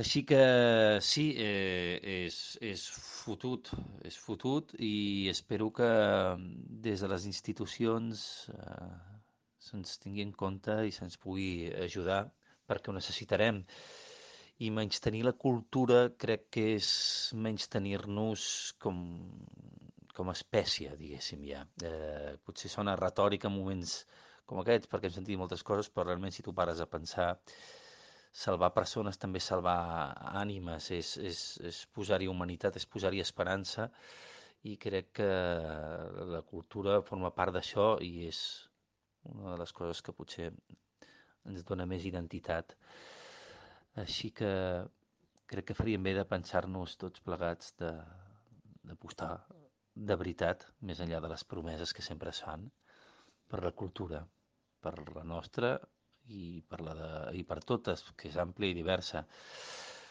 Així que sí, és fotut i espero que des de les institucions se'ns tingui en compte i se'ns pugui ajudar perquè ho necessitarem. I menystenir la cultura crec que és menystenir-nos com a espècie, diguéssim ja. Potser sona retòric en moments com aquests, perquè hem sentit moltes coses, però realment si tu pares a pensar, salvar persones també és salvar ànimes, és posar-hi humanitat, és posar-hi esperança, i crec que la cultura forma part d'això i és una de les coses que potser ens dona més identitat. Així que crec que faríem bé de pensar-nos tots plegats d'apostar de veritat, més enllà de les promeses que sempre es fan, per la cultura, per la nostra i per totes, que és àmplia i diversa.